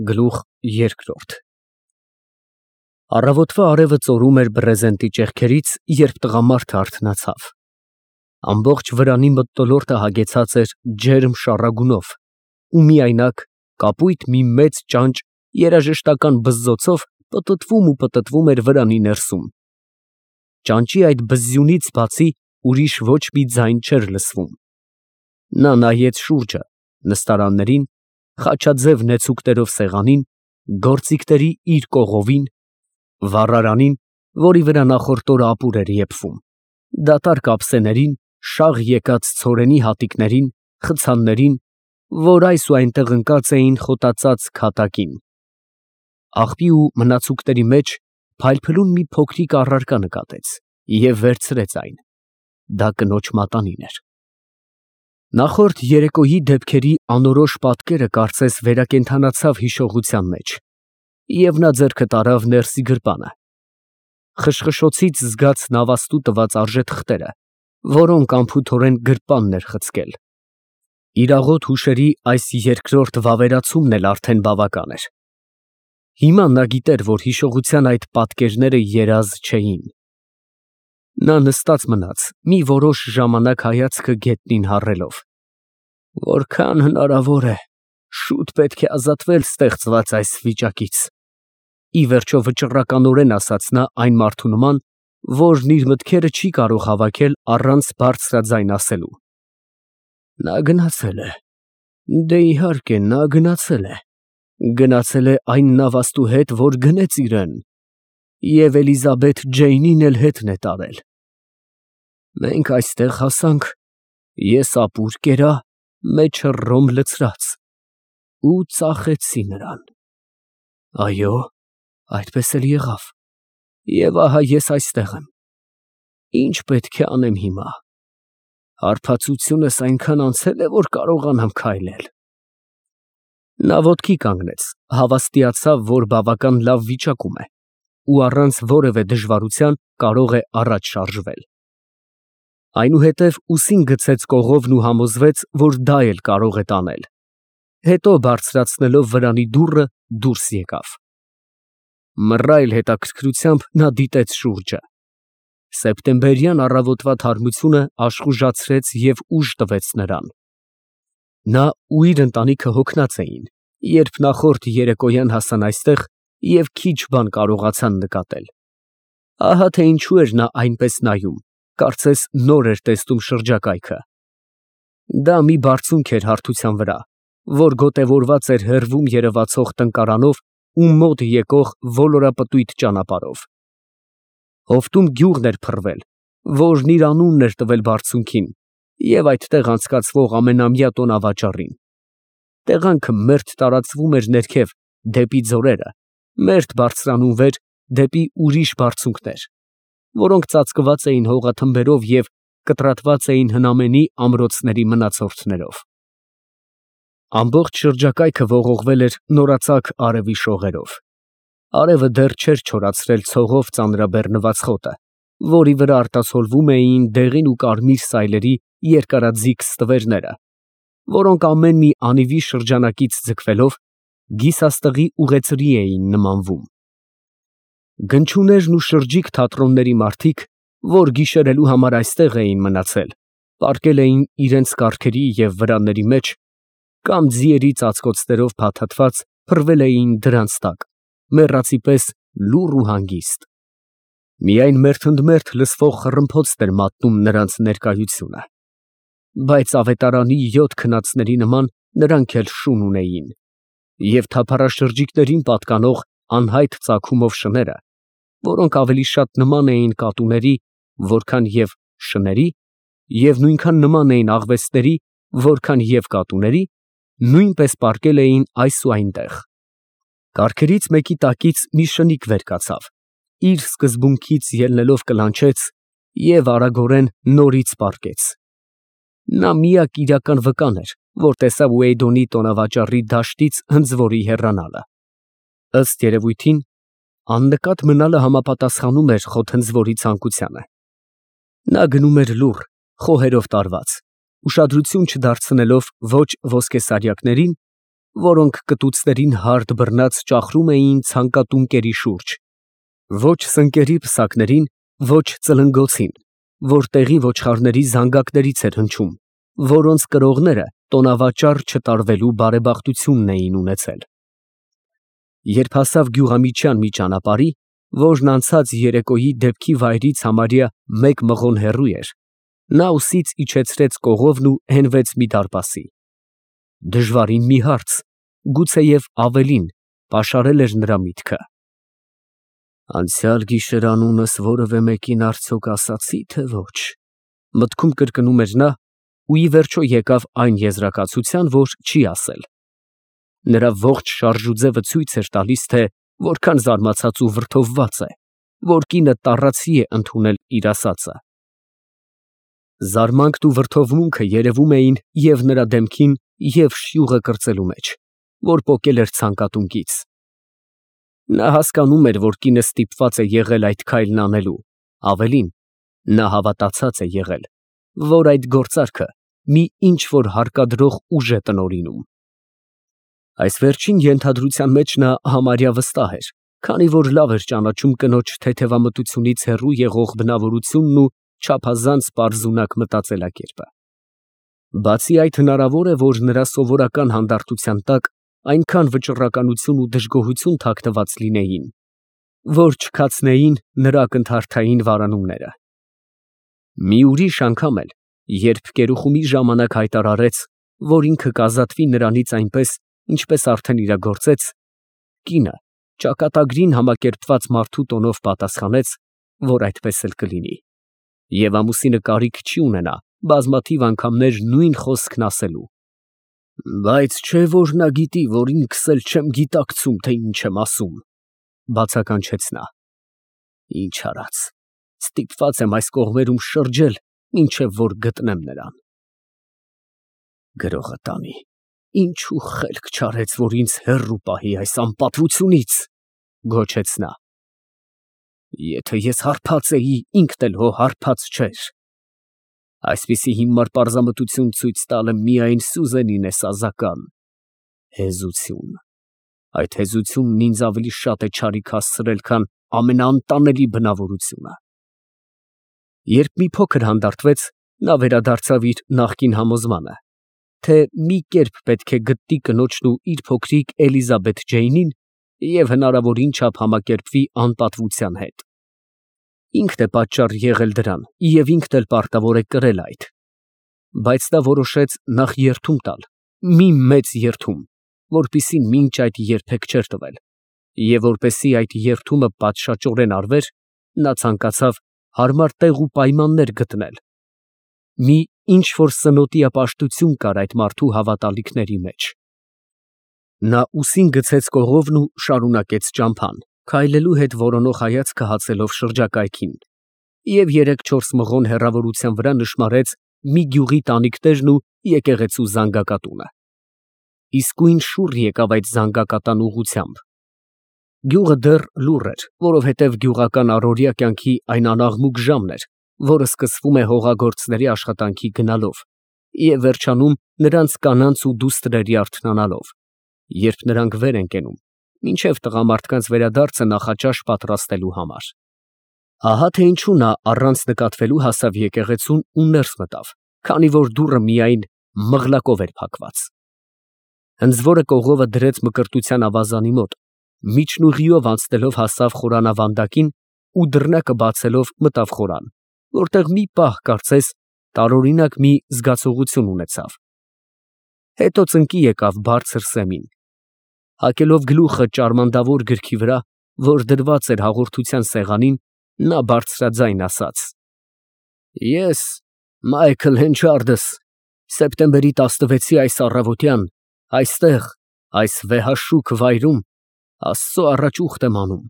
Գլուխ երկրորդ Առավոտվա արևը ծորում էր բռեզենտի ճեղքերից, երբ տղամարդը արթնացավ։ Ամբողջ վրանի մթնոլորտը հագեցած էր ջերմ շառագունով, ու միայնակ կապույտ մի մեծ ճանճ երաժշտական բզզոցով պտտվում էր վրանի ներսում։ Ճանճի այդ բզզյունից բացի ուրիշ ոչ մի ձայն չէր լսվում։ Նա նայեց շուրջը, նստարաններին, խաչաձև նեցուկներով սեղանին, գործիքների իր կողովին, վառարանին, որի վրա նախորդ օրը ապուր էր եփվում, դատարկ ափսեներին, շաղ եկած ցորենի հատիկներին, խցաններին, որ այս ու այնտեղ ընկած էին խոտածած քատակին։ Աղբի ու մնացուկների մեջ փայլփլուն մի փոքրիկ առարկա նկատեց և վերցրեց այն. դա կնոջ մատանին էր։ Նախորդ երեկոյի դեպքերի անորոշ պատկերը կարծես վերակենդանացավ հիշողության մեջ, և նա ձեռքը տարավ ներսի գրպանը։ Խշխշոցից զգաց նավաստու տված արժեթղթերը, որոնք անփութորեն գրպանն էր խցկել։ Իր աղոտ հուշերի այս երկրորդ վավերացումն էլ արդեն բավական էր։ Հիմա նա գիտեր, որ հիշողության այդ պատկերները երազ չէին։ Նա նստած մնաց, մի որոշ ժամանակ հայացքը գետնին հառելով։ Որքան հնարավոր է, շուտ պետք է ազատվել ստեղծված այս վիճակից։ Ի վերջո վճռականորեն ասաց նա այն մարդու նման, որն իր մտքերը չի կարող հավաքել առանց բարձրաձայն ասելու։ Նա գնացել է։ Դե իհարկե, նա գնացել է։ Գնացել է այն նավաստու հետ, որ գնեց իրան, և Էլիզաբեթ Ջեյնին էլ հետն է տարել։ Մենք այստեղ հասանք, ես ապուր կերա, մեջը ռոմ լցրած, ու ծախեցի նրան։ Այո, այդպես էլ եղավ, և ահա ես այստեղ եմ։ Ինչ պետք է անեմ հիմա։ Հարբածությունս այնքան անցել է, որ կարողանամ քայլել։ Նա ոտքի կանգնեց, հավաստիացավ, որ բավական լավ վիճակում է, ու առանց որևէ դժվարության կարող է առաջ շարժվել։ Այնուհետև ուսին գցեց կողովն ու համոզվեց, որ դա էլ կարող է տանել։ Հետո բարձրացնելով վրանի դուռը, դուրս եկավ։ Մռայլ հետաքրքրությամբ նա դիտեց շուրջը։ Սեպտեմբերյան առավոտվա թարմությունը աշխուժացրեց և ուժ տվեց նրան։ Նա ու իր ընտանիքը հոգնած էին, երբ նախորդ երեկոյան հասան այստեղ և քիչ բան կարողացան նկատել։ Ահա թե ինչու էր նա այնպես նայում, կարծես նոր էր տեսնում շրջակայքը։ Դա մի բարձունք էր հարթության վրա, որ գոտևորված էր հեռվում երևացող տնկարանով ու մոտ եկող ոլորապտույտ ճանապարհով։ Հովտում գյուղն էր փռվել, որն իր անունն էր տվել բարձունքին և այդտեղ անցկացվող ամենամյա տոնավաճառին։ Տեղանքը մերթ տարածվում էր ներքև, դեպի ձորերը, մերթ բարձրանում վեր, դեպի ուրիշ բարձունքներ, որոնք ծածկված էին հողաթմբերով և կտրատված էին հնամենի ամրոցների մնացորդներով։ Ամբողջ շրջակայքը ողողվել էր նորածակ արևի շողերով։ Արևը դեռ չէր չորացրել ցողով ծանրաբեռնված խոտը, որի վրա արտացոլվում էին դեղին ու կարմիր սայլերի երկարաձիգ ստվերները, որոնք ամեն մի անիվի շրջանակից ձգվելով գիսաստղի ուղեծրի էին նմանվում։ Գնչուներն ու շրջիկ թատրոնների մարդիկ, որ գիշերելու համար այստեղ էին մնացել, պառկել էին իրենց կառքերի և վրանների մեջ, կամ ձիերի ծածկոցներով փաթաթված փռվել էին դրանց տակ, մեռածի պես լուռ ու հանգիստ։ Միայն մերթընդմերթ լսվող խռմփոցն էր մատնում նրանց ներկայությունը։ Բայց ավետարանի 7 քնածների նման նրանք էլ շուն ունեին, և թափառաշրջիկներին պատկանող անհայտ ծագումով շները, որոնք ավելի շատ նման էին կատուների, որքան և շների, և նույնքան նման էին աղվեսների, որքան և կատուների, նույնպես պառկել էին այս ու այնտեղ։ Կառքերից մեկի տակից մի շնիկ վեր կացավ, իր սկզբունքից ելնելով կլանչեց և արագորեն նորից պառկեց։ Նա միակ իրական վկան էր, որ տեսավ Ուեյդոնի տոնավաճառի դաշտից հնձվորի հեռանալը։ Ըստ երևույթին, աննկատ մնալը համապատասխանում էր խոթհնձվորի ցանկությանը։ Նա գնում էր լուռ, խոհերով տարված, ուշադրություն չդարձնելով ոչ ոսկեսարյակներին, որոնք կտուցներին հարթ բռնած ճախրում էին ցանկատուն կերի շուրջ, ոչ սնկերի պսակներին, ոչ ծլնգոցին, որ տեղի ոչխարների զանգակներից էր հնչում, որոնց կրողները տոնավաճառ չտարվելու բարեբախտությունն էին ունեցել։ Երբ հասավ գյուղամիջյան մի ճանապարհի, որն անցած երեկոյի դեպքի վայրից համարյա 1 մղոն հեռու էր, նա ուսից իջեցրեց կողովն ու հենվեց մի դարպասի։ Դժվարին մի հարց, գուցեև ավելին, պաշարել էր նրա միտքը։ Անցյալ գիշեր անունս որևէ մեկին արդյոք ասացի, թե ոչ, մտքում կրկնում էր նա ու ի վերջո եկավ այն եզրակացության, որ չի ասել։ Նրա ողջ շարժուձևը ցույց էր տալիս, թե որքան զարմացած ու վրդովված է, որ կինը տառացի է ընդունել իր ասածը։ Զարմանքն ու վրդովմունքը երևում էին և նրա դեմքին, և շյուղը կրծելու մեջ, որ պոկել էր ցանկատունկից։ Նա հասկանում էր, որ կինը ստիպված է եղել այդ քայլն անելու, ավելին, նա հավատացած է եղել, որ այդ գործարքը մի ինչ֊որ հարկադրող ուժ է տնօրինում։ Այս վերջին ենթադրության մեջ նա համարյա վստահ էր, քանի որ լավ էր ճանաչում կնոջ թեթևամտությունից հեռու եղող բնավորությունն ու չափազանց պարզունակ մտածելակերպը։ Բացի այդ, հնարավոր է, որ նրա սովորական հանդարտության տակ այնքան վճռականություն ու դժգոհություն թաքնված լինեին, որ չքացնեին նրա ակնթարթային վարանումները։ Մի ուրիշ անգամ էլ, երբ կերուխումի ժամանակ հայտարարեց, որ ինքը կազատվի նրանից այնպես, ինչպես արդեն իրագործեց, կինը ճակատագրին համակերպված մարդու տոնով պատասխանեց, որ այդպես էլ կլինի, և ամուսինը կարիք չի ունենա բազմաթիվ անգամներ նույն խոսքն ասելու։ Բայց չէ որ նա գիտի, որ ինքս էլ չեմ գիտակցում, թե ինչ եմ ասում, բացականչեց նա։ Ինչ արած, ստիպված եմ այս կողմերում շրջել, մինչև որ գտնեմ նրան։ Գրողը տանի, ինչու խելք չարեց, որ ինձ հեռու պահի այս անպատվությունից, գոչեց նա։ Եթե ես հարբած էի, ինքն էլ հո հարբած չէր։ Այսպիսի հիմար պարզամտություն ցույց տալը միայն Սյուզենին է սազական։ Հեզություն։ Այդ հեզությունն ինձ ավելի շատ է չարիք հասցրել, քան ամենաանտանելի բնավորությունը։ Երբ մի փոքր հանդարտվեց, նա վերադարձավ իր նախկին համոզմանը, թե մի կերպ պետք է գտնի կնոջն ու իր փոքրիկ Էլիզաբեթ Ջեյնին և հնարավորին չափ համակերպվի անպատվության հետ։ Ինքն է պատճառ եղել դրան և ինքն էլ պարտավոր է կրել այդ։ Բայց նա որոշեց նախ երդում տալ, մի մեծ երդում, որպիսի մինչ այդ երբեք չէր տվել, և որպեսզի այդ երդումը պատշաճորեն արվեր, նա ցանկացավ հարմար տեղ ու պայմաններ գտնել։ Մի ինչ֊որ սնոտիապաշտություն կար այդ մարդու հավատալիքների մեջ։ Նա ուսին գցեց կողովն ու շարունակեց ճամփան, քայլելու հետ որոնող հայացքը հացելով շրջակայքին, և 3-4 մղոն հեռավորության վրա նշմարեց մի գյուղի տանիքներն ու եկեղեցու զանգակատունը։ Իսկույն շուռ եկավ այդ զանգակատան ուղղությամբ։ Գյուղը դեռ լուռ էր, որովհետև գյուղական առօրյա կյանքի այն անաղմուկ ժամն էր, որը սկսվում է հողագործների աշխատանքի գնալով և վերջանում նրանց կանանց ու դուստրերի արթնանալով, երբ նրանք վեր են կենում, մինչև տղամարդկանց վերադարձը նախաճաշ պատրաստելու համար։ Ահա թե ինչու նա առանց նկատվելու հասավ եկեղեցուն ու ներս մտավ, քանի որ դուռը միայն մղլակով էր փակված։ Հնձվորը կողովը դրեց մկրտության ավազանի մոտ, միջնուղիով անցնելով հասավ խորանավանդակին ու դռնակը բացելով մտավ խորան, որտեղ մի պահ, կարծես, տարօրինակ մի զգացողություն ունեցավ։ Հետո ծնկի եկավ բարձր սեմին։ Հագելով գլուխը ճարմանդավոր գրքի վրա, որ դրված էր հաղորդության սեղանին, նա բարձրաձայն ասաց. Ես, Մայքլ Հենչարդս, սեպտեմբերի 16-ի այս առավոտյան, այստեղ, այս վեհաշուք վայրում, Աստծո առաջ ուխտ եմ անում,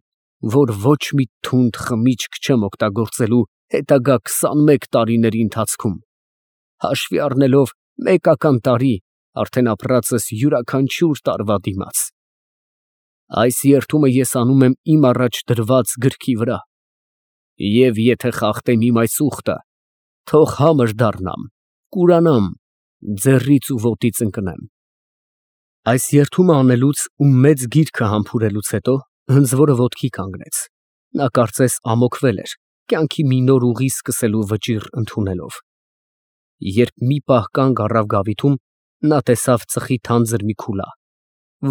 որ ոչ մի թունդ խմիչք չեմ օգտագործելու հետագա 21 տարիների ընթացքում, հաշվի առնելով մեկական տարի արդեն ապրածս յուրաքանչյուր տարվա դիմաց։ Այս երդումը ես անում եմ իմ առաջ դրված գրքի վրա, և եթե խախտեմ իմ այս ուխտը, թող համր դառնամ, կուրանամ, ձեռից ու ոտից ընկնեմ։ Այս երթումը անելուց ու մեծ գիրքը համբուրելուց հետո հնձվորը ոտքի կանգնեց. նա կարծես ամոքվել էր, կյանքի մի նոր ուղի սկսելու վճիռ ընդունելով։ Երբ մի պահ կանգ առավ գավիթում, նա տեսավ ծխի թանձր մի քուլա,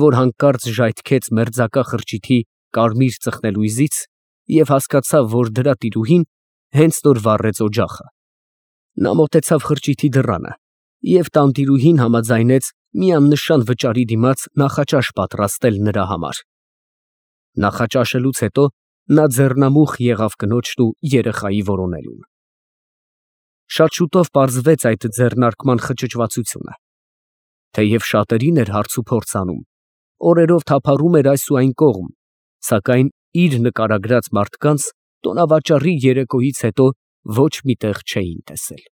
որ հանկարծ ժայթքեց մերձակա խրճիթի կարմիր ծխնելույզից և հասկացավ, որ դրա տիրուհին հենց նոր վառեց օջախը։ Նա մոտեցավ խրճիթի դռանը և տանտիրուհին համաձայնեց մի աննշան վճարի դիմաց նախաճաշ պատրաստել նրա համար։ Նախաճաշելուց հետո նա ձեռնամուխ եղավ կնոջն ու երեխայի որոնելուն։ Շատ շուտով պարզվեց այդ ձեռնարկման խճճվածությունը։ Թեև շատերին էր հարց ու փորձ անում, օրերով թափառում էր այս ու այն կողմ, սակայն իր նկարագրած մարդկանց տոնավաճառի երեկոյից հետո ոչ մի տեղ չէին տեսել։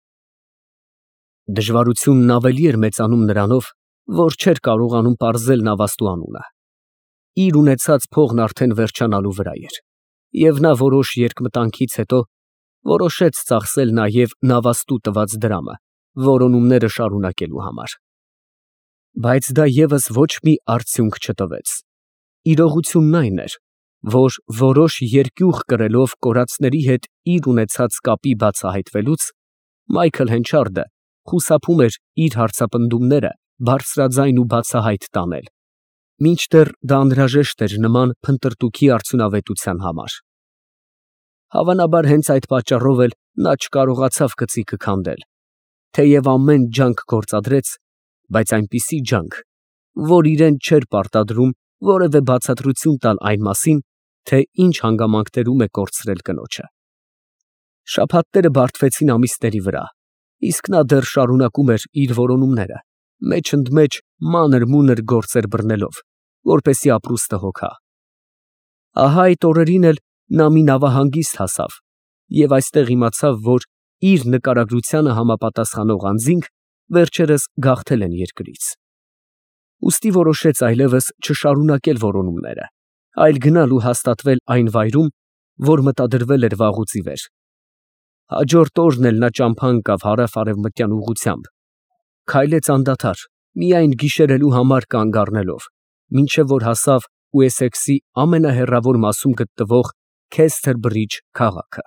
Դժվարությունն ավելի էր մեծանում նրանով, որ չէր կարողանում պարզել նավաստու անունը։ Իր ունեցած փողն արդեն վերջանալու վրա էր, և նա որոշ երկմտանքից հետո որոշեց ծախսել նաև նավաստու տված դրամը որոնումները շարունակելու համար։ Բայց դա ևս ոչ մի արդյունք չտվեց։ Իրողությունն այն էր, որ որոշ երկյուղ կրելով կորածների հետ իր ունեցած կապի բացահայտվելուց Մայքլ Հենչարդը խուսափում էր իր հարցապնդումները բարձրաձայն ու բացահայտ տանել, մինչդեռ դա անհրաժեշտ էր նման փնտրտուքի արդյունավետության համար։ Հավանաբար հենց այդ պատճառով էլ նա չկարողացավ կծիկը քանդել, թեև ամեն ջանք գործադրեց, բայց այնպիսի ջանք, որ իրեն չէր պարտադրում որևէ բացատրություն տալ այն մասին, թե ինչ հանգամանքներում է կորցրել կնոջը։ Շաբաթները բարդվեցին ամիսների վրա, իսկ նա դեռ շարունակում էր իր որոնումները, մեջ-ընդմեջ մանր֊մունր գործեր բռնելով, որպեսզի ապրուստը հոգա։ Ահա այդ օրերին էլ նա մի նավահանգիստ հասավ և այստեղ իմացավ, որ իր նկարագրությանը համապատասխանող անձինք վերջերս գաղթել են երկրից։ Ուստի որոշեց այլևս չշարունակել որոնումները, այլ գնալ ու հաստատվել այն վայրում, որ մտադրվել էր վաղուց ի վեր։ Հաջորդ օրն էլ նա ճամփա ընկավ հարավ֊արևմտյան ուղղությամբ, քայլեց անդադար, միայն գիշերելու համար կանգ առնելով, մինչև որ հասավ Ուեսեքսի ամենահեռավոր մասում գտնվող Քեսթեր Բրիջ քաղաքը։